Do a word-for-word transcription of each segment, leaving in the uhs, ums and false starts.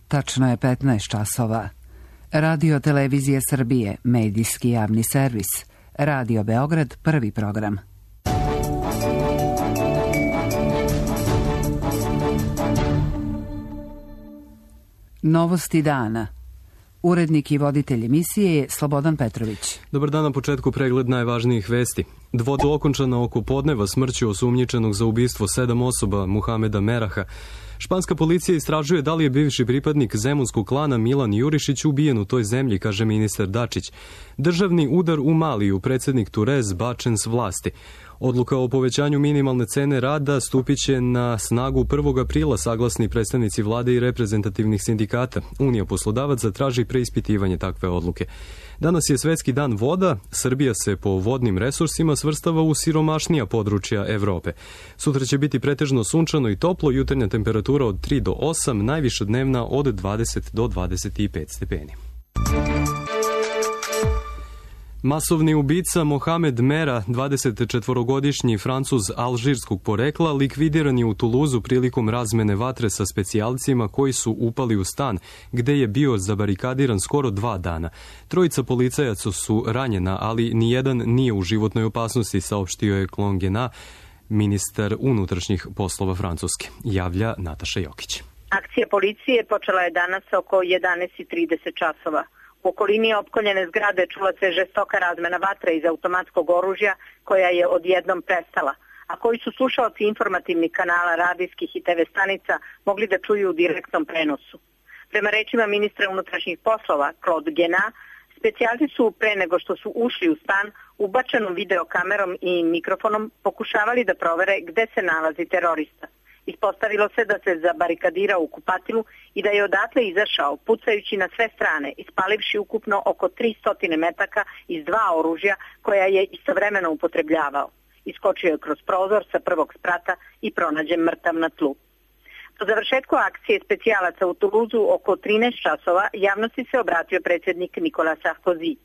Tačno je petnaest časova. Radio Televizije Srbije, medijski javni servis. Radio Beograd, prvi program. Novosti dana. Urednik i voditelj emisije je Slobodan Petrović. Dobar dan, na početku pregled najvažnijih vesti. Dvoda okončana oko podneva smrću osumnjičenog za ubistvo sedam osoba Muhameda Meraha. Španska policija istražuje da li je bivši pripadnik zemunskog klana Milan Jurišić ubijen u toj zemlji, kaže ministar Dačić. Državni udar u Maliju, predsjednik Turez bačen s vlasti. Odluka o povećanju minimalne cene rada stupit će na snagu prvog aprila, saglasni predstavnici vlade i reprezentativnih sindikata. Unija poslodavaca traži preispitivanje takve odluke. Danas je Svetski dan voda. Srbija se po vodnim resursima svrstava u siromašnija područja Evrope. Sutra će biti pretežno sunčano i toplo, jutarnja temperatura od tri do osam, najviša dnevna od dvadeset do dvadeset pet stepeni. Masovni ubica Mohamed Merah, dvadesetčetvorogodišnji Francuz alžirskog porekla, likvidiran je u Tuluzu prilikom razmene vatre sa specijalcima koji su upali u stan, gde je bio zabarikadiran skoro dva dana. Trojica policajaca su ranjena, ali nijedan nije u životnoj opasnosti, saopštio je Klongena, ministar unutrašnjih poslova Francuske. Javlja Nataša Jokić. Akcija policije počela je danas oko jedanaest i trideset časova. U okolini opkoljene zgrade čula se žestoka razmena vatre iz automatskog oružja koja je odjednom prestala, a koji su slušaoci informativnih kanala, radijskih i te ve stanica mogli da čuju u direktnom prenosu. Prema rečima ministra unutrašnjih poslova Claude Gena, specijalci su pre nego što su ušli u stan ubačenom videokamerom i mikrofonom pokušavali da provere gde se nalazi terorista. Ispostavilo se da se zabarikadirao u kupatilu i da je odatle izašao, pucajući na sve strane, ispalivši ukupno oko tristo metaka iz dva oružja koja je istovremeno upotrebljavao. Iskočio je kroz prozor sa prvog sprata i pronađen mrtav na tlu. Po završetku akcije specijalaca u Tuluzu oko trinaest časova javnosti se obratio predsjednik Nicolas Sarkozy.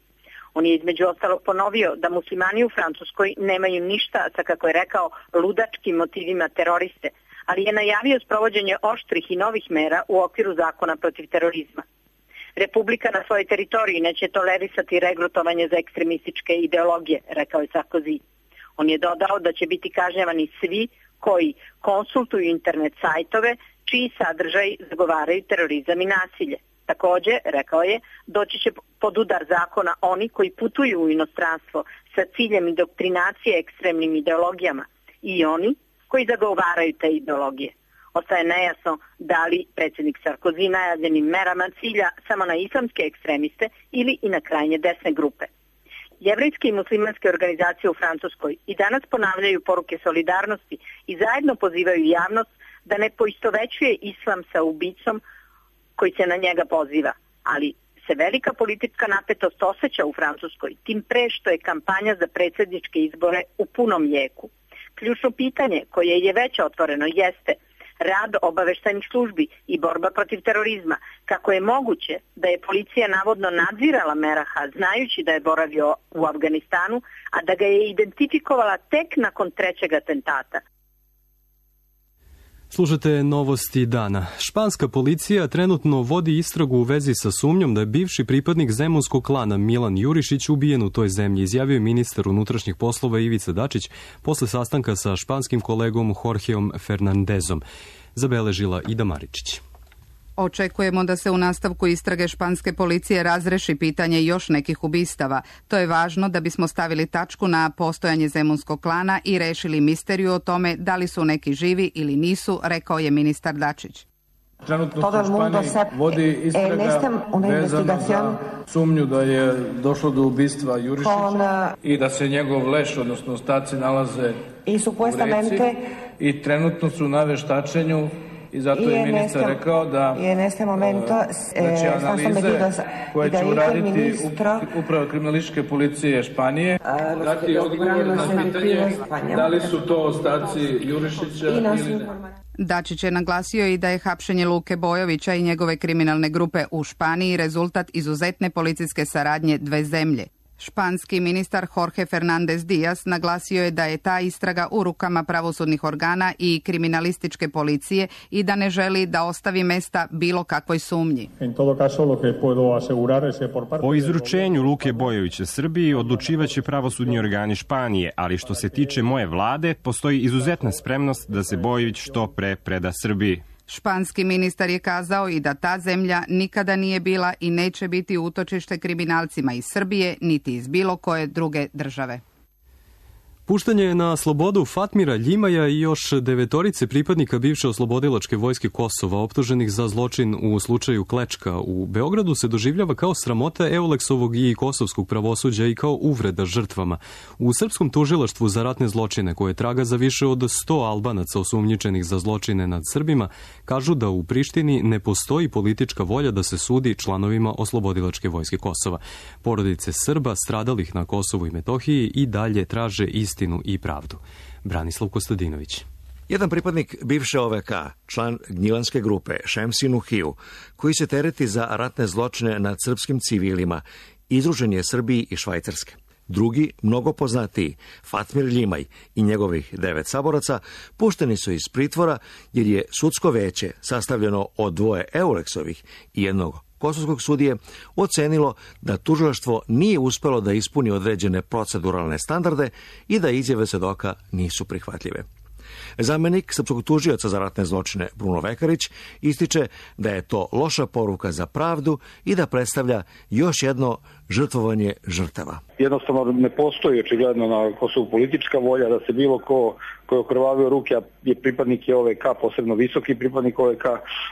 On je između ostalog ponovio da muslimani u Francuskoj nemaju ništa sa, kako je rekao, ludačkim motivima teroriste, ali je najavio sprovođenje oštrih i novih mera u okviru zakona protiv terorizma. Republika na svojoj teritoriji neće tolerisati regrutovanje za ekstremističke ideologije, rekao je Sarkozy. On je dodao da će biti kažnjavani svi koji konsultuju internet sajtove čiji sadržaj zagovaraju terorizam i nasilje. Također, rekao je, doći će pod udar zakona oni koji putuju u inostranstvo sa ciljem indoktrinacije ekstremnim ideologijama i oni koji zagovaraju te ideologije. Ostaje nejasno da li predsjednik Sarkozy najavljenim merama cilja samo na islamske ekstremiste ili i na krajnje desne grupe. Jevrejske i muslimanske organizacije u Francuskoj i danas ponavljaju poruke solidarnosti i zajedno pozivaju javnost da ne poistovećuje islam sa ubicom koji se na njega poziva, ali se velika politička napetost osjeća u Francuskoj, tim pre što je kampanja za predsjedničke izbore u punom jeku. Ključno pitanje koje je već otvoreno jeste rad obaveštajnih službi i borba protiv terorizma. Kako je moguće da je policija navodno nadzirala Meraha znajući da je boravio u Afganistanu, a da ga je identifikovala tek nakon trećeg atentata? Slušate novosti dana. Španska policija trenutno vodi istragu u vezi sa sumnjom da je bivši pripadnik zemunskog klana Milan Jurišić ubijen u toj zemlji, izjavio je ministar unutrašnjih poslova Ivica Dačić posle sastanka sa španskim kolegom Jorgeom Fernandezom. Zabeležila Ida Maričić. Očekujemo da se u nastavku istrage španske policije razreši pitanje još nekih ubistava. To je važno da bismo stavili tačku na postojanje zemunskog klana i rešili misteriju o tome da li su neki živi ili nisu, rekao je ministar Dačić. Trenutno se u Španiji vodi istraga vezana za sumnju da je došlo do ubistva Jurišića i da se njegov leš, odnosno ostaci, nalaze u reci i trenutno su na veštačenju. I zato je ministar rekao da, da će analize koje će uraditi uprava kriminalističke policije Španije dati odgovor na pitanje da li su to ostaci Jurišića ili ne. Dačić je naglasio i da je hapšenje Luke Bojovića i njegove kriminalne grupe u Španiji rezultat izuzetne policijske saradnje dve zemlje. Španski ministar Jorge Fernández Díaz naglasio je da je ta istraga u rukama pravosudnih organa i kriminalističke policije i da ne želi da ostavi mesta bilo kakvoj sumnji. O izručenju Luke Bojovića Srbiji odlučivaće pravosudni organi Španije, ali što se tiče moje vlade, postoji izuzetna spremnost da se Bojović što pre preda Srbiji. Španski ministar je kazao i da ta zemlja nikada nije bila i neće biti utočište kriminalcima iz Srbije niti iz bilo koje druge države. Puštanje je na slobodu Fatmira Ljimaja i još devetorice pripadnika bivše oslobodilačke vojske Kosova optuženih za zločin u slučaju Klečka u Beogradu se doživljava kao sramota Euleksovog i kosovskog pravosuđa i kao uvreda žrtvama. U srpskom tužilaštvu za ratne zločine, koje traga za više od sto Albanaca osumnjičenih za zločine nad Srbima, kažu da u Prištini ne postoji politička volja da se sudi članovima oslobodilačke vojske Kosova. Porodice Srba stradalih na Kosovu i Metohiji i dalje traže istinu i pravdu. Branislav Kostadinović. Jedan pripadnik bivše O V K, član Gnjilanske grupe, Šemsi Nuhiju, koji se tereti za ratne zločine nad srpskim civilima, izručen je Srbiji i Švajcarske. Drugi, mnogo poznatiji, Fatmir Ljimaj i njegovih devet saboraca, pušteni su iz pritvora jer je sudsko veće, sastavljeno od dvoje Euleksovih i jednog kosovskog sudije, ocenilo da tužilaštvo nije uspelo da ispuni određene proceduralne standarde i da izjave svedoka nisu prihvatljive. Zamenik srpskog tužioca za ratne zločine Bruno Vekarić ističe da je to loša poruka za pravdu i da predstavlja još jedno žrtvovanje žrtava. Jednostavno ne postoji očigledno na Kosovu politička volja da se bilo ko ko je okrvavio ruke, a je pripadnik je O V K, posebno visoki pripadnik O V K,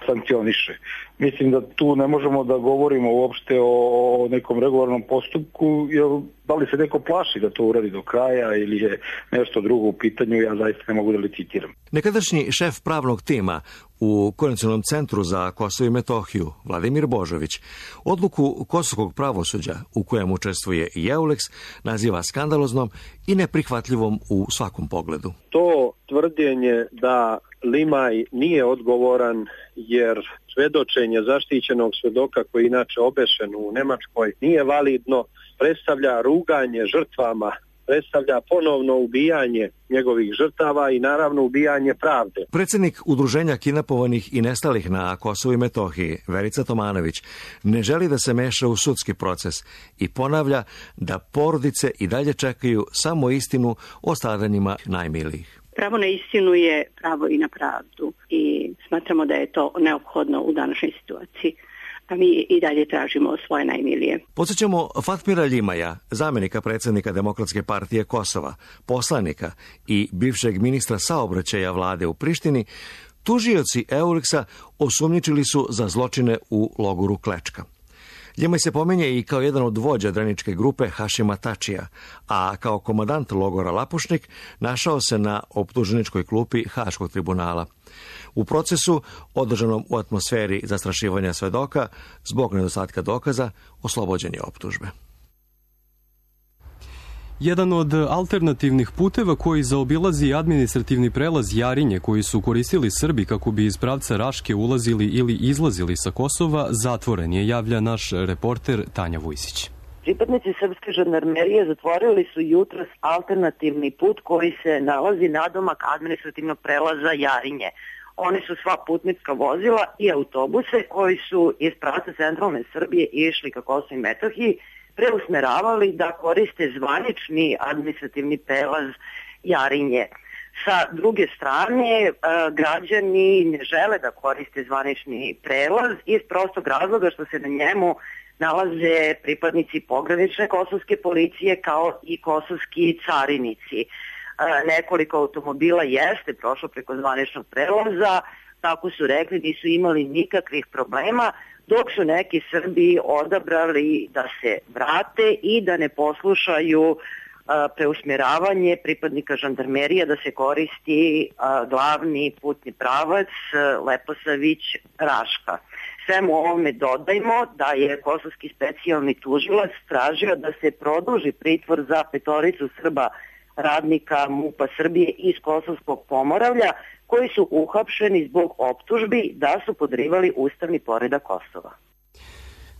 sankcioniše. Mislim da tu ne možemo da govorimo uopšte o nekom regularnom postupku, jer da li se neko plaši da to uradi do kraja ili je nešto drugo u pitanju, ja zaista ne mogu da licitiram. Nekadašnji šef pravnog tima u Koordinacionom centru za Kosovo i Metohiju, Vladimir Božović, odluku kosovskog pravosuđa u kojem učestvuje i Euleks naziva skandaloznom i neprihvatljivom u svakom pogledu. To tvrđenje da Limaj nije odgovoran jer svedočenje zaštićenog svedoka koji je inače obešen u Nemačkoj nije validno, predstavlja ruganje žrtvama, predstavlja ponovno ubijanje njegovih žrtava i naravno ubijanje pravde. Predsjednik Udruženja kidnapovanih i nestalih na Kosovu i Metohiji, Verica Tomanović, ne želi da se meša u sudski proces i ponavlja da porodice i dalje čekaju samo istinu o stradanjima najmilijih. Pravo na istinu je pravo i na pravdu i smatramo da je to neophodno u današnjoj situaciji. A mi i dalje tražimo svoje najmilije. Podsjećamo Fatmira Ljimaja, zamjenika predsjednika Demokratske partije Kosova, poslanika i bivšeg ministra saobraćaja vlade u Prištini, tužioci Euleksa osumnjičili su za zločine u logoru Klečka. Ljimaj se pominje i kao jedan od vođa dreničke grupe Hašima Tačija, a kao komandant logora Lapušnik našao se na optuženičkoj klupi Haškog tribunala. U procesu, održanom u atmosferi zastrašivanja svedoka, zbog nedostatka dokaza, oslobođen je optužbe. Jedan od alternativnih puteva koji zaobilazi administrativni prelaz Jarinje koji su koristili Srbi kako bi iz pravca Raške ulazili ili izlazili sa Kosova zatvoren je, javlja naš reporter Tanja Vujsić. Pripadnici srpske žandarmerije zatvorili su jutros alternativni put koji se nalazi nadomak administrativnog prelaza Jarinje. Oni su sva putnička vozila i autobuse koji su iz pravca centralne Srbije išli ka Kosovu i Metohiji preusmeravali da koriste zvanični administrativni prelaz Jarinje. Sa druge strane, građani ne žele da koriste zvanični prelaz iz prostog razloga što se na njemu nalaze pripadnici pogranične kosovske policije kao i kosovski carinici. Nekoliko automobila jeste prošlo preko zvaničnog prelaza, tako su rekli, nisu imali nikakvih problema, dok su neki Srbi odabrali da se vrate i da ne poslušaju preusmjeravanje pripadnika žandarmerije da se koristi glavni putni pravac Leposavić-Raška. Svemu ovome dodajmo da je kosovski specijalni tužilac tražio da se produži pritvor za petoricu Srba radnika MUP-a Srbije iz Kosovskog Pomoravlja koji su uhapšeni zbog optužbi da su podrivali ustavni poredak Kosova.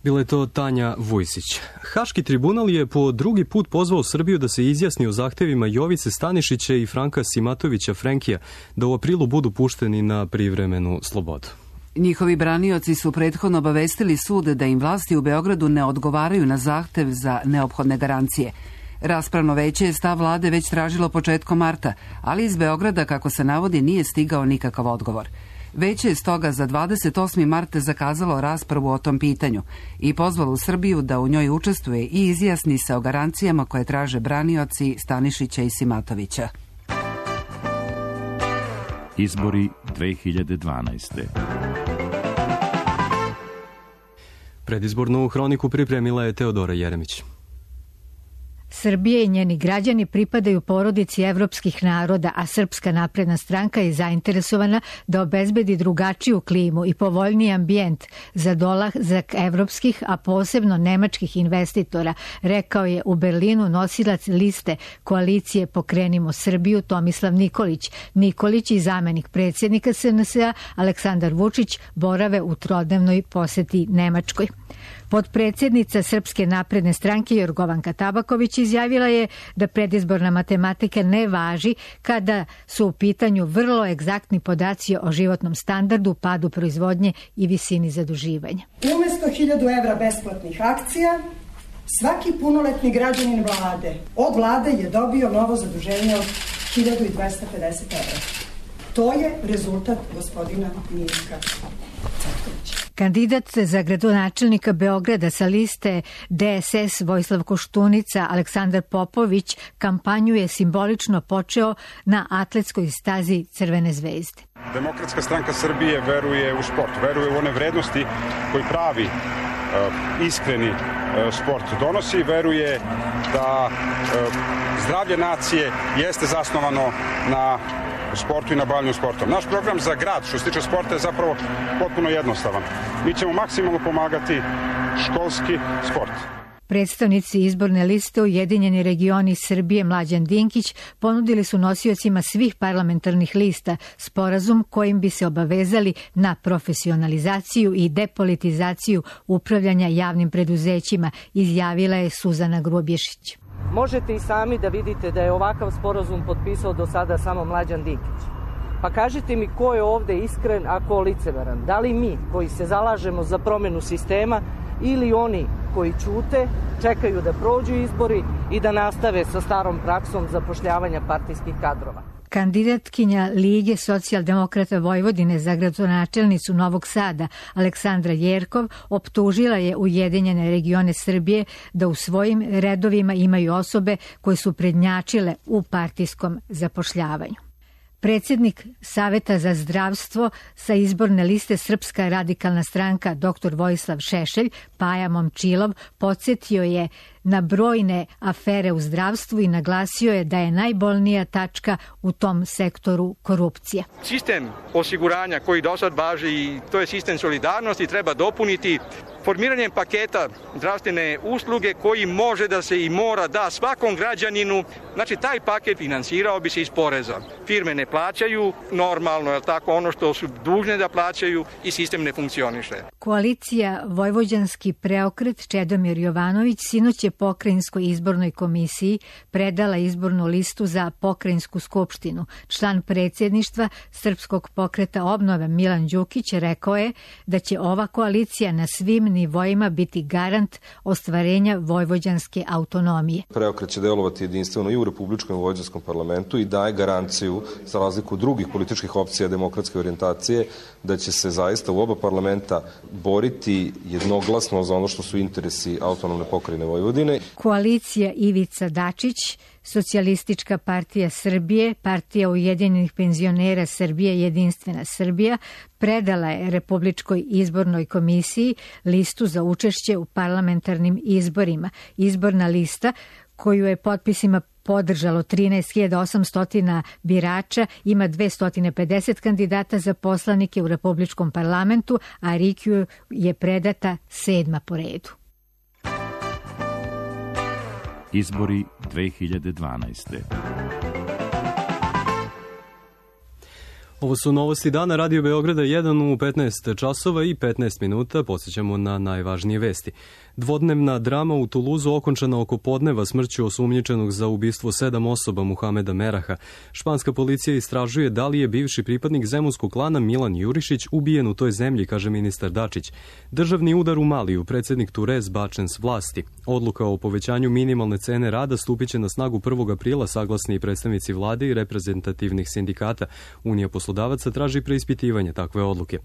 Bila je to Tanja Vujsić. Haški tribunal je po drugi put pozvao Srbiju da se izjasni o zahtevima Jovice Stanišića i Franka Simatovića Frenkija da u aprilu budu pušteni na privremenu slobodu. Njihovi branioci su prethodno obavestili sud da im vlasti u Beogradu ne odgovaraju na zahtev za neophodne garancije. Raspravno veće je stav vlade već tražilo početkom marta, ali iz Beograda, kako se navodi, nije stigao nikakav odgovor. Veće je stoga za dvadeset osmi mart zakazalo raspravu o tom pitanju i pozvalo Srbiju da u njoj učestvuje i izjasni se o garancijama koje traže branioci Stanišića i Simatovića. Izbori dve hiljade dvanaeste. Predizbornu hroniku pripremila je Teodora Jeremić. Srbija i njeni građani pripadaju porodici evropskih naroda, a Srpska napredna stranka je zainteresovana da obezbedi drugačiju klimu i povoljniji ambijent za dolazak evropskih, a posebno nemačkih investitora, rekao je u Berlinu nosilac liste koalicije Pokrenimo Srbiju Tomislav Nikolić. Nikolić i zamenik predsjednika S N S-a Aleksandar Vučić borave u trodnevnoj poseti Nemačkoj. Potpredsjednica Srpske napredne stranke Jorgovanka Tabaković izjavila je da predizborna matematika ne važi kada su u pitanju vrlo egzaktni podaci o životnom standardu, padu proizvodnje i visini zaduživanja. Umesto hiljadu evra besplatnih akcija, svaki punoletni građanin vlade od vlade je dobio novo zaduženje od hiljadu dvesta pedeset evra. To je rezultat gospodina Mirka Cvetkovića. Kandidat za gradonačelnika Beograda sa liste D S S Vojislav Koštunica Aleksandar Popović kampanju je simbolično počeo na atletskoj stazi Crvene zvezde. Demokratska stranka Srbije veruje u sport, veruje u one vrednosti koji pravi uh, iskreni uh, sport donosi, veruje da uh, zdravlje nacije jeste zasnovano na sportu i na bavljanju sportom. Naš program za grad što se tiče sporta je zapravo potpuno jednostavan. Mi ćemo maksimalno pomagati školski sport. Predstavnici izborne liste Ujedinjeni regioni Srbije Mlađan Dinkić ponudili su nosiocima svih parlamentarnih lista sporazum kojim bi se obavezali na profesionalizaciju i depolitizaciju upravljanja javnim preduzećima, izjavila je Suzana Grubješić. Možete i sami da vidite da je ovakav sporazum potpisao do sada samo Mlađan Dinkić. Pa kažite mi ko je ovde iskren, a ko licemeran. Da li mi koji se zalažemo za promjenu sistema ili oni koji ćute, čekaju da prođu izbori i da nastave sa starom praksom zapošljavanja partijskih kadrova. Kandidatkinja Lige socijaldemokrata Vojvodine za gradonačelnicu Novog Sada Aleksandra Jerkov optužila je Ujedinjene regione Srbije da u svojim redovima imaju osobe koje su prednjačile u partijskom zapošljavanju. Predsjednik Saveta za zdravstvo sa izborne liste Srpska radikalna stranka dr Vojislav Šešelj, Paja Momčilov, podsjetio je na brojne afere u zdravstvu i naglasio je da je najbolnija tačka u tom sektoru korupcija. Sistem osiguranja koji do sad važi, i to je sistem solidarnosti, treba dopuniti formiranjem paketa zdravstvene usluge koji može da se i mora da svakom građaninu. Znači, taj paket finansirao bi se iz poreza. Firme ne plaćaju normalno, je tako, ono što su dužne da plaćaju i sistem ne funkcioniše. Koalicija Vojvođanski preokret Čedomir Jovanović sinoć je Pokrajinskoj izbornoj komisiji predala izbornu listu za Pokrajinsku skupštinu. Član predsjedništva Srpskog pokreta obnove Milan Đukić rekao je da će ova koalicija na svim nivoima biti garant ostvarenja vojvođanske autonomije. Preokret će delovati jedinstveno i u Republičkom i Vojvođanskom parlamentu i daje garanciju, za razliku od drugih političkih opcija demokratske orijentacije, da će se zaista u oba parlamenta boriti jednoglasno za ono što su interesi autonomne pokrajine Vojvodine. Koalicija Ivica Dačić, Socijalistička partija Srbije, Partija Ujedinjenih penzionera Srbije, Jedinstvena Srbija, predala je Republičkoj izbornoj komisiji listu za učešće u parlamentarnim izborima. Izborna lista, koju je potpisima podržalo trinaest hiljada osamsto birača, ima dvesta pedeset kandidata za poslanike u Republičkom parlamentu, a Rikiju je predata sedma po redu. Izbori dve hiljade dvanaeste. Ovo su novosti dana Radio Beograda jedan u petnaest časova i petnaest minuta. Podsjećamo na najvažnije vesti. Dvodnevna drama u Tuluzu okončana oko podneva smrću osumnjičenog za ubistvo sedam osoba Muhameda Meraha. Španska policija istražuje da li je bivši pripadnik zemunskog klana Milan Jurišić ubijen u toj zemlji, kaže ministar Dačić. Državni udar u Maliju, predsjednik Ture zbačen s vlasti. Odluka o povećanju minimalne cene rada stupit će na snagu prvog aprila, saglasni i predstavnici vlade i reprezentativnih sindikata. Unija poslodavaca traži preispitivanje takve odluke.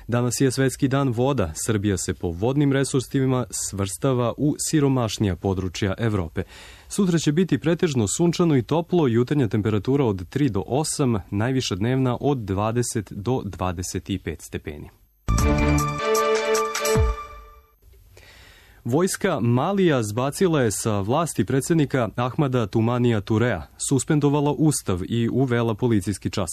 Danas je Svetski dan voda. Srbija se po vodnim resursima svrstava u siromašnija područja Evrope. Sutra će biti pretežno sunčano i toplo, jutarnja temperatura od tri do osam, najviša dnevna od dvadeset do dvadeset pet stepeni. Vojska Malija zbacila je sa vlasti predsjednika Ahmada Tumanija Turea, suspendovala ustav i uvela policijski čas.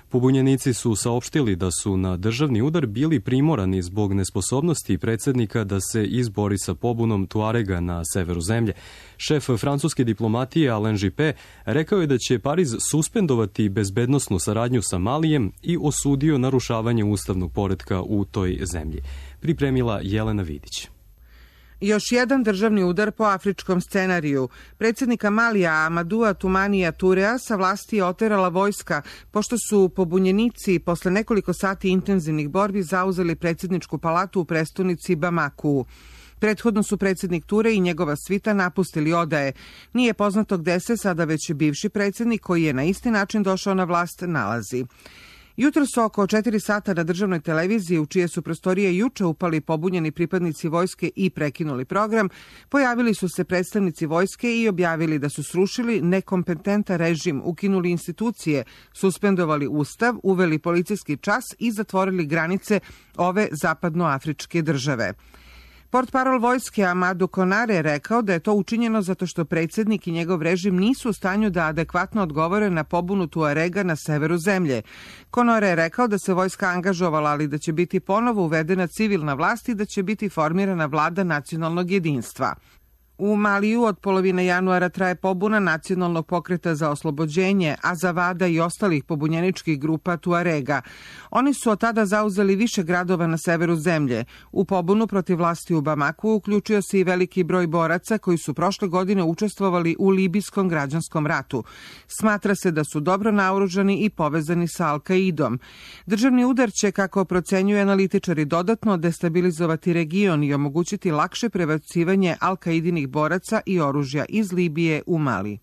Pobunjenici su saopštili da su na državni udar bili primorani zbog nesposobnosti predsjednika da se izbori sa pobunom Tuarega na severu zemlje. Šef francuske diplomatije Alain Juppé rekao je da će Pariz suspendovati bezbednosnu saradnju sa Malijem i osudio narušavanje ustavnog poretka u toj zemlji. Pripremila Jelena Vidić. Još jedan državni udar po afričkom scenariju. Predsjednika Malija Amadua Tumanija Turea sa vlasti je oterala vojska, pošto su pobunjenici posle nekoliko sati intenzivnih borbi zauzeli predsjedničku palatu u prestonici Bamaku. Prethodno su predsjednik Ture i njegova svita napustili odaje. Nije poznato gde se sada već bivši predsjednik, koji je na isti način došao na vlast, nalazi. Jutro su oko četiri sata na državnoj televiziji, u čije su prostorije juče upali pobunjeni pripadnici vojske i prekinuli program, pojavili su se predstavnici vojske i objavili da su srušili nekompetentan režim, ukinuli institucije, suspendovali ustav, uveli policijski čas i zatvorili granice ove zapadnoafričke države. Portparol vojske Amadou Konare je rekao da je to učinjeno zato što predsjednik i njegov režim nisu u stanju da adekvatno odgovore na pobunu Tuarega na severu zemlje. Konare je rekao da se vojska angažovala, ali da će biti ponovo uvedena civilna vlast i da će biti formirana vlada nacionalnog jedinstva. U Maliju od polovine januara traje pobuna nacionalnog pokreta za oslobođenje, Azavada i ostalih pobunjeničkih grupa Tuarega. Oni su od tada zauzeli više gradova na severu zemlje. U pobunu protiv vlasti u Bamaku uključio se i veliki broj boraca koji su prošle godine učestvovali u libijskom građanskom ratu. Smatra se da su dobro naoružani i povezani sa Al-Kaidom. Državni udar će, kako procenjuju analitičari, dodatno destabilizovati region i omogućiti lakše prebacivanje Al-Kaidinih boraca i oružja iz Libije u Mali.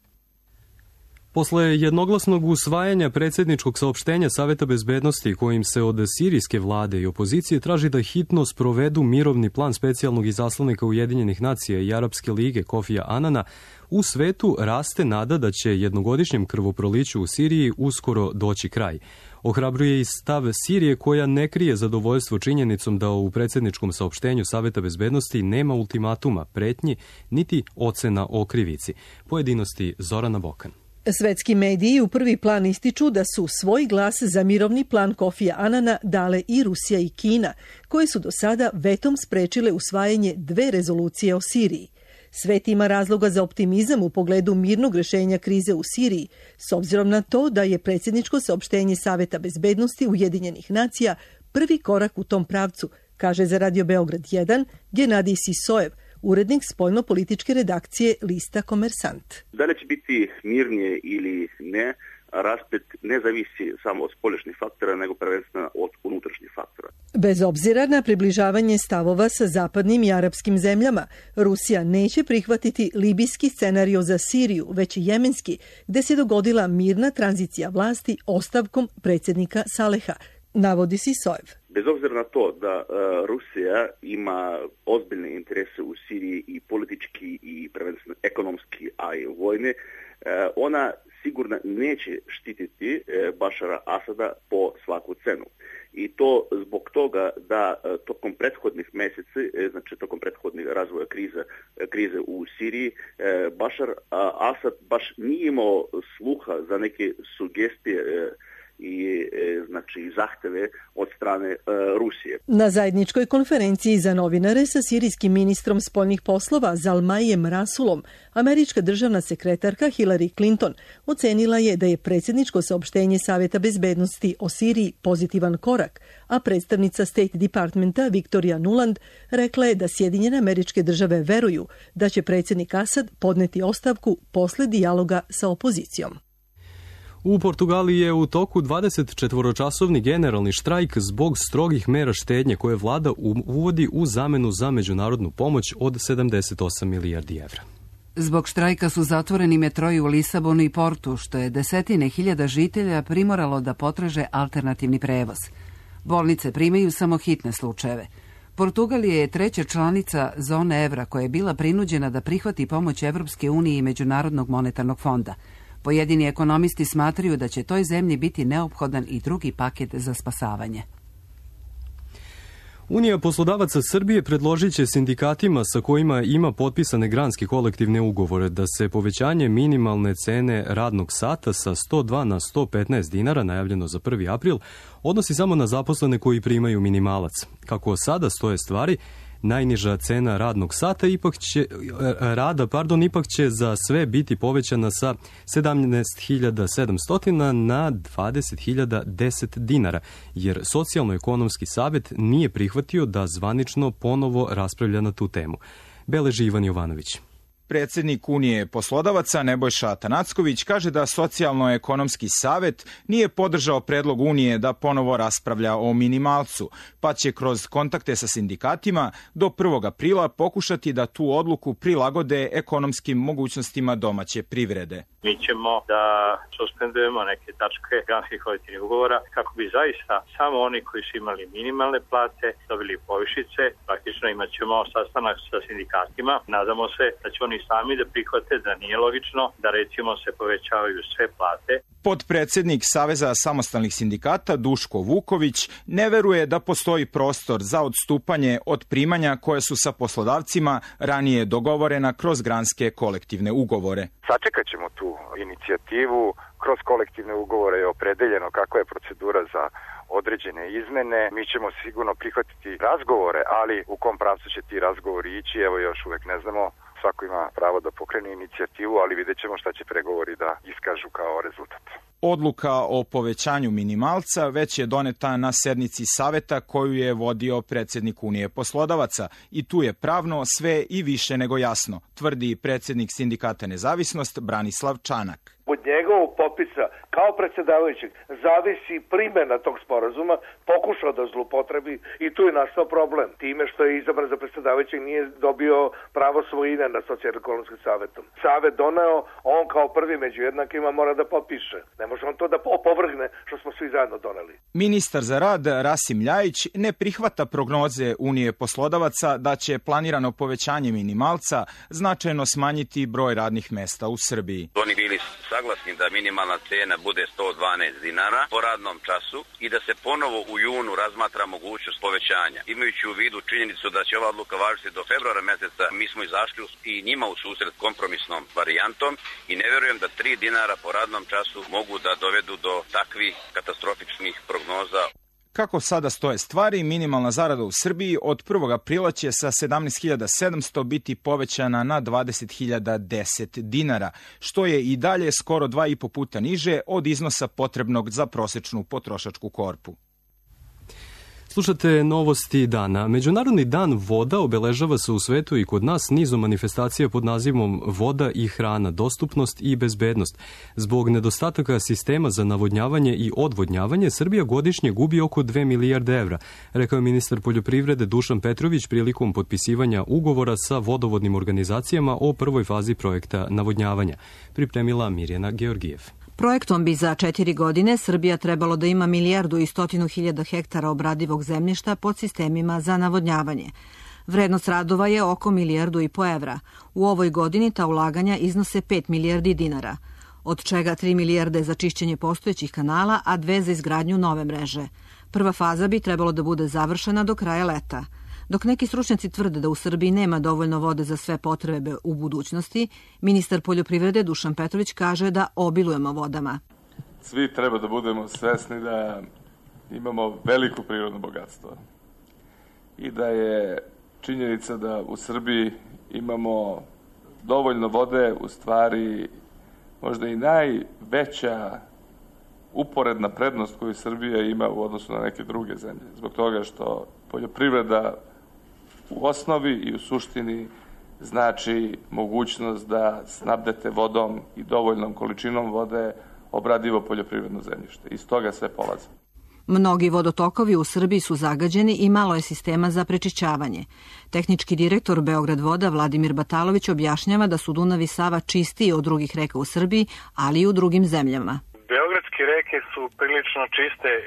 Posle jednoglasnog usvajanja predsjedničkog saopštenja Saveta bezbednosti kojim se od sirijske vlade i opozicije traži da hitno sprovedu mirovni plan specijalnog izaslanika Ujedinjenih nacija i Arapske lige Kofija Anana, u svetu raste nada da će jednogodišnjem krvoproliću u Siriji uskoro doći kraj. Ohrabruje i stav Sirije, koja ne krije zadovoljstvo činjenicom da u predsjedničkom saopštenju Saveta bezbednosti nema ultimatuma, pretnji, niti ocena o krivici. Pojedinosti Zorana Bokan. Svetski mediji u prvi plan ističu da su svoj glas za mirovni plan Kofija Anana dale i Rusija i Kina, koje su do sada vetom sprečile usvajanje dve rezolucije o Siriji. Svet ima razloga za optimizam u pogledu mirnog rešenja krize u Siriji, s obzirom na to da je predsjedničko saopštenje Saveta bezbednosti Ujedinjenih nacija prvi korak u tom pravcu, kaže za Radio Beograd jedan Genadij Sisojev, urednik spoljno-političke redakcije lista Komersant. Da li će biti mirnije ili ne, rasplet ne zavisi samo od spolješnih faktora, nego prvenstveno od unutrašnjih faktora. Bez obzira na približavanje stavova sa zapadnim i arapskim zemljama, Rusija neće prihvatiti libijski scenario za Siriju, već i jemenski, gde se dogodila mirna tranzicija vlasti ostavkom predsjednika Saleha, navodi Sisojev. Bez obzira na to da uh, Rusija ima ozbiljne interese u Siriji i politički i prvenstveno ekonomski, a i vojne, uh, ona sigurno neće štititi uh, Bašara Asada po svaku cenu. I to zbog toga da uh, tokom prethodnih mjeseci, uh, znači tokom prethodnih razvoja krize, uh, krize u Siriji, uh, Bašar uh, Asad baš nije imao sluha za neke sugestije uh, i znači zahteve od strane Rusije. Na zajedničkoj konferenciji za novinare sa sirijskim ministrom spoljnih poslova Zalmaijem Rasulom, američka državna sekretarka Hillary Clinton ocenila je da je predsjedničko saopštenje Savjeta bezbednosti o Siriji pozitivan korak, a predstavnica State Departmenta Victoria Nuland rekla je da Sjedinjene Američke Države veruju da će predsjednik Asad podneti ostavku posle dijaloga sa opozicijom. U Portugaliji je u toku dvadesetčetvoročasovni generalni štrajk zbog strogih mera štednje koje vlada uvodi u zamenu za međunarodnu pomoć od sedamdeset osam milijardi evra. Zbog štrajka su zatvoreni metroji u Lisabonu i Portu, što je desetine hiljada žitelja primoralo da potraže alternativni prevoz. Bolnice primaju samo hitne slučajeve. Portugalija je treća članica zone evra koja je bila prinuđena da prihvati pomoć Evropske unije i Međunarodnog monetarnog fonda. Pojedini ekonomisti smatraju da će toj zemlji biti neophodan i drugi paket za spasavanje. Unija poslodavaca Srbije predložit će sindikatima sa kojima ima potpisane granske kolektivne ugovore da se povećanje minimalne cene radnog sata sa sto dva na sto petnaest dinara, najavljeno za prvi april, odnosi samo na zaposlene koji primaju minimalac. Kako sada stoje stvari, najniža cena radnog sata ipak će, rada pardon, ipak će za sve biti povećana sa sedamnaest hiljada sedamsto na dvadeset hiljada deset dinara, jer Socijalno-ekonomski savjet nije prihvatio da zvanično ponovo raspravlja na tu temu. Beleži Ivan Jovanović. Predsjednik Unije poslodavaca Nebojša Atanacković kaže da Socijalno-ekonomski savjet nije podržao predlog Unije da ponovo raspravlja o minimalcu, pa će kroz kontakte sa sindikatima do prvog aprila pokušati da tu odluku prilagode ekonomskim mogućnostima domaće privrede. Mi ćemo da suspendujemo neke tačke granskih kolektivnih ugovora kako bi zaista samo oni koji su imali minimalne plate dobili povišice. Praktično imat ćemo sastanak sa sindikatima. Nadamo se da će oni sami da prihvate da nije logično da recimo se povećavaju sve plate. Podpredsednik Saveza samostalnih sindikata Duško Vuković ne veruje da postoji prostor za odstupanje od primanja koje su sa poslodavcima ranije dogovorena kroz granske kolektivne ugovore. Sačekat ćemo tu inicijativu. Kroz kolektivne ugovore je opredeljeno kakva je procedura za određene izmene. Mi ćemo sigurno prihvatiti razgovore, ali u kom pravcu će ti razgovori ići, evo još uvek ne znamo. Svako ima pravo da pokrene inicijativu, ali vidjet ćemo šta će pregovori da iskažu kao rezultat. Odluka o povećanju minimalca već je doneta na sednici saveta koju je vodio predsjednik Unije poslodavaca i tu je pravno sve i više nego jasno, tvrdi predsjednik sindikata Nezavisnost Branislav Čanak. Od njegovog popisa kao predsjedavajućeg zavisi primjena tog sporazuma, pokušao da zlupotrebi i tu je nastao problem. Time što je izabran za predsjedavajućeg nije dobio pravo svojine nad Socijalno-ekonomskim savjetom. Savet doneo, on kao prvi među jednakima mora da potpiše. Ne može on to da opovrgne što smo svi zajedno doneli. Ministar za rad Rasim Ljajić ne prihvata prognoze Unije poslodavaca da će planirano povećanje minimalca značajno smanjiti broj radnih mesta u Srbiji. Oni bili saglasni da minimalna cena bude sto dvanaest dinara po radnom času i da se ponovo u junu razmatra mogućnost povećanja. Imajući u vidu činjenicu da će ova odluka važiti do februara meseca, mi smo izašli i njima u susret kompromisnom varijantom i ne verujem da tri dinara po radnom času mogu da dovedu do takvih katastrofičnih prognoza. Kako sada stoje stvari, minimalna zarada u Srbiji od prvog aprila će sa sedamnaest hiljada sedamsto biti povećana na dvadeset hiljada deset dinara, što je i dalje skoro dva i po puta niže od iznosa potrebnog za prosečnu potrošačku korpu. Slušate novosti dana. Međunarodni dan voda obeležava se u svetu i kod nas nizom manifestacija pod nazivom Voda i hrana, dostupnost i bezbednost. Zbog nedostataka sistema za navodnjavanje i odvodnjavanje, Srbija godišnje gubi oko dve milijarde evra, rekao je ministar poljoprivrede Dušan Petrović prilikom potpisivanja ugovora sa vodovodnim organizacijama o prvoj fazi projekta navodnjavanja. Pripremila Mirjana Georgijev. Projektom bi za četiri godine Srbija trebalo da ima milijardu i stotinu hiljada hektara obradivog zemljišta pod sistemima za navodnjavanje. Vrednost radova je oko milijardu i po evra. U ovoj godini ta ulaganja iznose pet milijardi dinara, od čega tri milijarde za čišćenje postojećih kanala, a dve za izgradnju nove mreže. Prva faza bi trebalo da bude završena do kraja leta. Dok neki stručnjaci tvrde da u Srbiji nema dovoljno vode za sve potrebe u budućnosti, ministar poljoprivrede Dušan Petrović kaže da obilujemo vodama. svi treba da budemo svesni da imamo veliko prirodno bogatstvo i da je činjenica da u Srbiji imamo dovoljno vode, u stvari možda i najveća uporedna prednost koju Srbija ima u odnosu na neke druge zemlje. Zbog toga što poljoprivreda u osnovi i u suštini znači mogućnost da snabdete vodom i dovoljnom količinom vode obradivo poljoprivredno zemljište. Iz toga sve polazi. Mnogi vodotokovi u Srbiji su zagađeni i malo je sistema za prečišćavanje. Tehnički direktor Beograd voda Vladimir Batalović objašnjava da su Dunav i Sava čistiji od drugih reka u Srbiji, ali i u drugim zemljama. Beogradske reke su prilično čiste, e,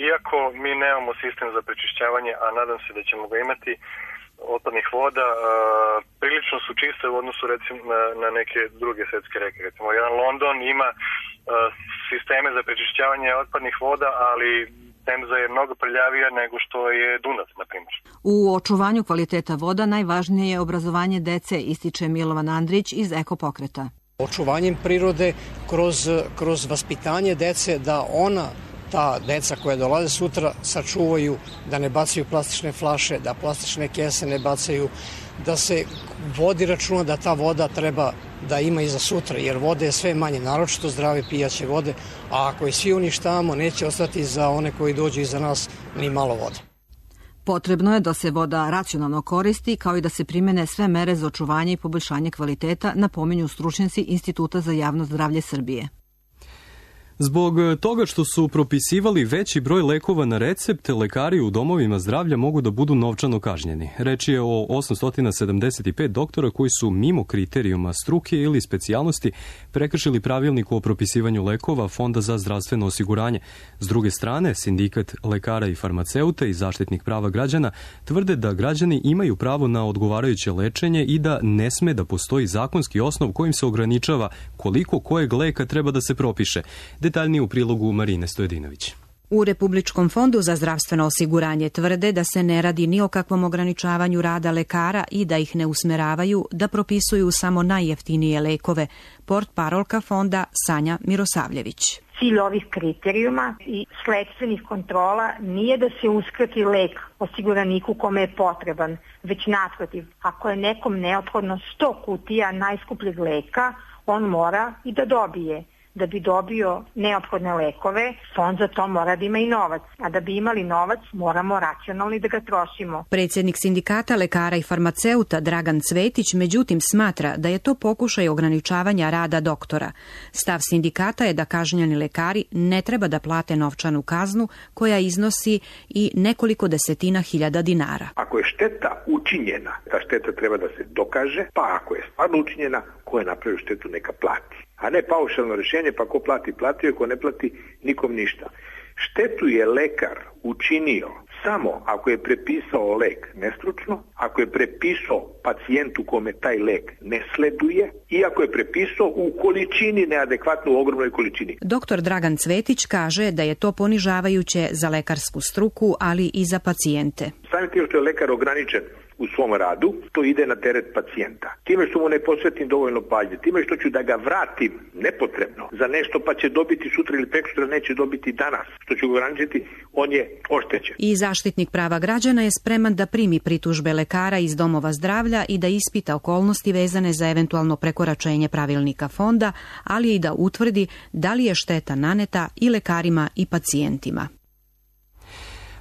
iako mi nemamo sistem za prečišćavanje, a nadam se da ćemo ga imati, otpadnih voda, e, prilično su čiste u odnosu recimo na, na neke druge svetske reke. Recimo, jedan London ima e, sisteme za prečišćavanje otpadnih voda, ali Temza je mnogo prljavija nego što je Dunav, na primjer. U očuvanju kvaliteta voda najvažnije je obrazovanje dece, ističe Milovan Andrić iz Ekopokreta. Očuvanjem prirode kroz, kroz vaspitanje dece da ona, ta deca koja dolaze sutra, sačuvaju, da ne bacaju plastične flaše, da plastične kese ne bacaju, da se vodi računa da ta voda treba da ima i za sutra, jer vode je sve manje, naročito zdrave pijaće vode, a ako je svi uništavamo, neće ostati za one koji dođu iza nas ni malo vode. Potrebno je da se voda racionalno koristi, kao i da se primene sve mere za očuvanje i poboljšanje kvaliteta, napominju stručnjaci Instituta za javno zdravlje Srbije. Zbog toga što su propisivali veći broj lekova na recept, lekari u domovima zdravlja mogu da budu novčano kažnjeni. Reč je o osamsto sedamdeset pet doktora koji su mimo kriterijuma struke ili specijalnosti prekršili pravilnik o propisivanju lekova Fonda za zdravstveno osiguranje. S druge strane, sindikat lekara i farmaceuta i zaštitnik prava građana tvrde da građani imaju pravo na odgovarajuće lečenje i da ne sme da postoji zakonski osnov kojim se ograničava koliko kojeg leka treba da se propiše. Detaljnije u prilogu Marine Stojedinović. U Republičkom fondu za zdravstveno osiguranje tvrde da se ne radi ni o kakvom ograničavanju rada lekara i da ih ne usmeravaju da propisuju samo najjeftinije lekove. Portparolka fonda Sanja Mirosavljević. Cilj ovih kriterijuma i sledstvenih kontrola nije da se uskrati lek osiguraniku kome je potreban, već naprotiv, ako je nekom neophodno sto kutija najskupljeg leka, on mora i da dobije. Da bi dobio neophodne lekove, fond za to mora da ima i novac, a da bi imali novac moramo racionalno da ga trošimo. Predsjednik sindikata lekara i farmaceuta Dragan Cvetić međutim smatra da je to pokušaj ograničavanja rada doktora. Stav sindikata je da kažnjeni lekari ne treba da plate novčanu kaznu koja iznosi i nekoliko desetina hiljada dinara. Ako je šteta učinjena, ta šteta treba da se dokaže, pa ako je stvarno učinjena, ko je napravio štetu neka plati. A ne paušalno rješenje, pa ko plati, platio, ko ne plati, nikom ništa. Štetu je lekar učinio samo ako je prepisao lek nestručno, ako je prepisao pacijentu kome taj lek ne sleduje i ako je prepisao u količini neadekvatno u ogromnoj količini. Doktor Dragan Cvetić kaže da je to ponižavajuće za lekarsku struku, ali i za pacijente. Samim tim što je lekar ograničen u svom radu, to ide na teret pacijenta. Time što mu ne posvetim dovoljno pažnje, time što ću da ga vratim nepotrebno za nešto pa će dobiti sutra ili prekosutra, neće dobiti danas, što ću ga ograničiti, on je oštećen. I zaštitnik prava građana je spreman da primi pritužbe lekara iz domova zdravlja i da ispita okolnosti vezane za eventualno prekoračenje pravilnika fonda, ali i da utvrdi da li je šteta naneta i lekarima i pacijentima.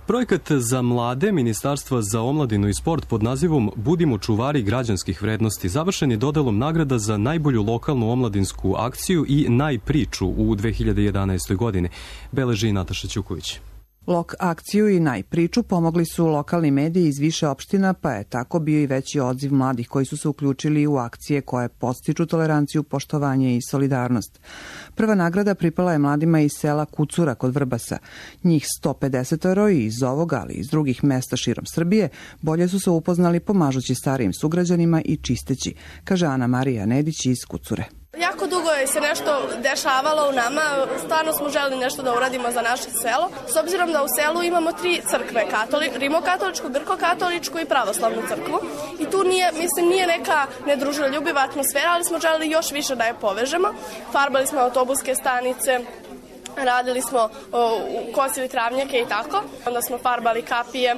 Projekat za mlade Ministarstva za omladinu i sport pod nazivom Budimo čuvari građanskih vrednosti završen je dodelom nagrada za najbolju lokalnu omladinsku akciju i najpriču u dve hiljade jedanaestoj. godini. Beleži Nataša Ćuković. Lok akciju i najpriču pomogli su lokalni mediji iz više opština, pa je tako bio i veći odziv mladih koji su se uključili u akcije koje podstiču toleranciju, poštovanje i solidarnost. Prva nagrada pripala je mladima iz sela Kucura kod Vrbasa. Njih sto pedeset i iz ovog, ali i iz drugih mesta širom Srbije, bolje su se upoznali pomažući starijim sugrađanima i čisteći, kaže Ana Marija Nedić iz Kucure. Jako dugo je se nešto dešavalo u nama, stvarno smo želeli nešto da uradimo za naše selo, s obzirom da u selu imamo tri crkve, katoli, rimokatoličku, grko-katoličku i pravoslavnu crkvu. I tu nije, mislim, nije neka nedružoljubiva atmosfera, ali smo želeli još više da je povežemo. Farbali smo autobuske stanice, radili smo, kosili travnjake i tako. Onda smo farbali kapije,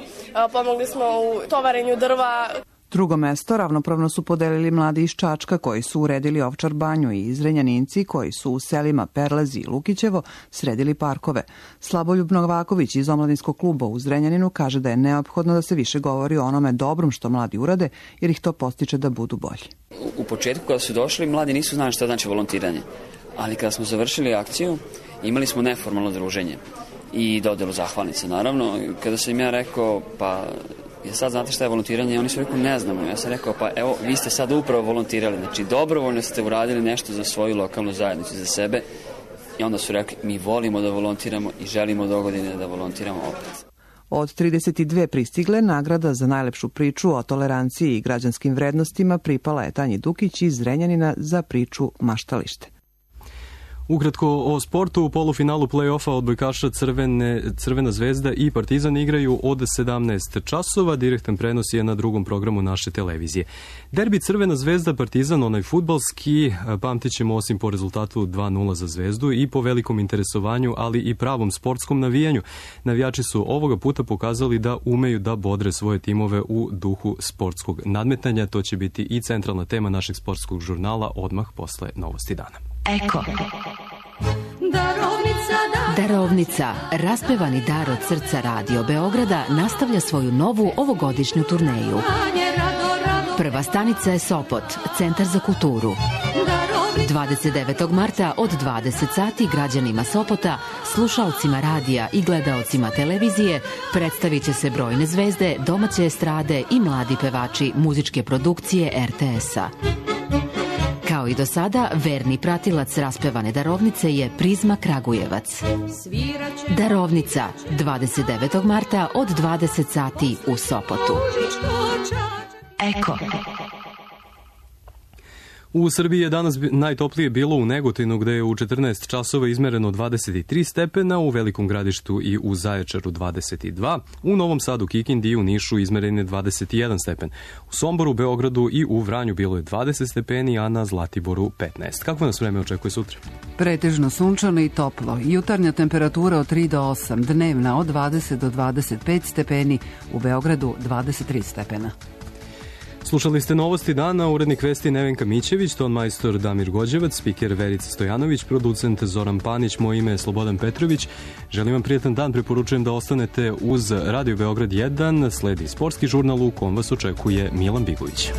pomogli smo u tovarenju drva. Drugo mesto ravnopravno su podelili mladi iz Čačka koji su uredili Ovčar banju i Zrenjaninci koji su u selima Perlezi i Lukićevo sredili parkove. Slavoljub Novaković iz omladinskog kluba u Zrenjaninu kaže da je neophodno da se više govori o onome dobrom što mladi urade jer ih to postiče da budu bolji. U početku kada su došli mladi nisu znali šta znači volontiranje, ali kada smo završili akciju imali smo neformalno druženje i dodelu zahvalnice naravno. Kada sam im ja rekao pa ja sad znate šta je volontiranje, oni su rekao ne znamo. Ja sam rekao pa evo vi ste sad upravo volontirali, znači dobrovoljno ste uradili nešto za svoju lokalnu zajednicu, za sebe i onda su rekli mi volimo da volontiramo i želimo do godine da volontiramo opet. Od trideset dve pristigle nagrada za najlepšu priču o toleranciji i građanskim vrednostima pripala je Tanji Dukić iz Zrenjanina za priču Maštalište. Ukratko o sportu, u polufinalu play-offa odbojkaša Crvene, Crvena zvezda i Partizan igraju od sedamnaest časova, direktan prenos je na drugom programu naše televizije. Derbi Crvena zvezda Partizan, onaj fudbalski, pamtit ćemo osim po rezultatu dva nula za Zvezdu i po velikom interesovanju, ali i pravom sportskom navijanju. Navijači su ovoga puta pokazali da umeju da bodre svoje timove u duhu sportskog nadmetanja. To će biti i centralna tema našeg sportskog žurnala odmah posle Novosti dana. Eko. Darovnica, da. Darovnica, raspevani dar od srca Radio Beograda, nastavlja svoju novu ovogodišnju turneju. Prva stanica je Sopot, Centar za kulturu. dvadeset devetog marta od dvadeset sati građanima Sopota, slušalcima radija i gledaocima televizije predstavit će se brojne zvezde, domaće estrade i mladi pevači muzičke produkcije er te es-a. Kao i do sada, verni pratilac raspevane darovnice je Prizma Kragujevac. Darovnica, dvadeset devetog marta od dvadeset sati u Sopotu. Eko. U Srbiji je danas najtoplije bilo u Negotinu, gde je u četrnaest časova izmereno dvadeset tri stepena, u Velikom Gradištu i u Zaječaru dvadeset dva, u Novom Sadu, Kikindi i u Nišu izmeren je dvadeset jedan stepen. U Somboru, Beogradu i u Vranju bilo je dvadeset stepeni, a na Zlatiboru petnaest. Kako nas vreme očekuje sutra? Pretežno sunčano i toplo. Jutarnja temperatura od tri do osam, dnevna od dvadeset do dvadeset pet stepeni, u Beogradu dvadeset tri stepena. Slušali ste Novosti dana, urednik vesti Nevenka Mićević, ton majstor Damir Gođevac, spiker Verica Stojanović, producent Zoran Panić, moje ime je Slobodan Petrović. Želim vam prijetan dan, preporučujem da ostanete uz Radio Beograd jedan, sledi sportski žurnal u kom vas očekuje Milan Bigović.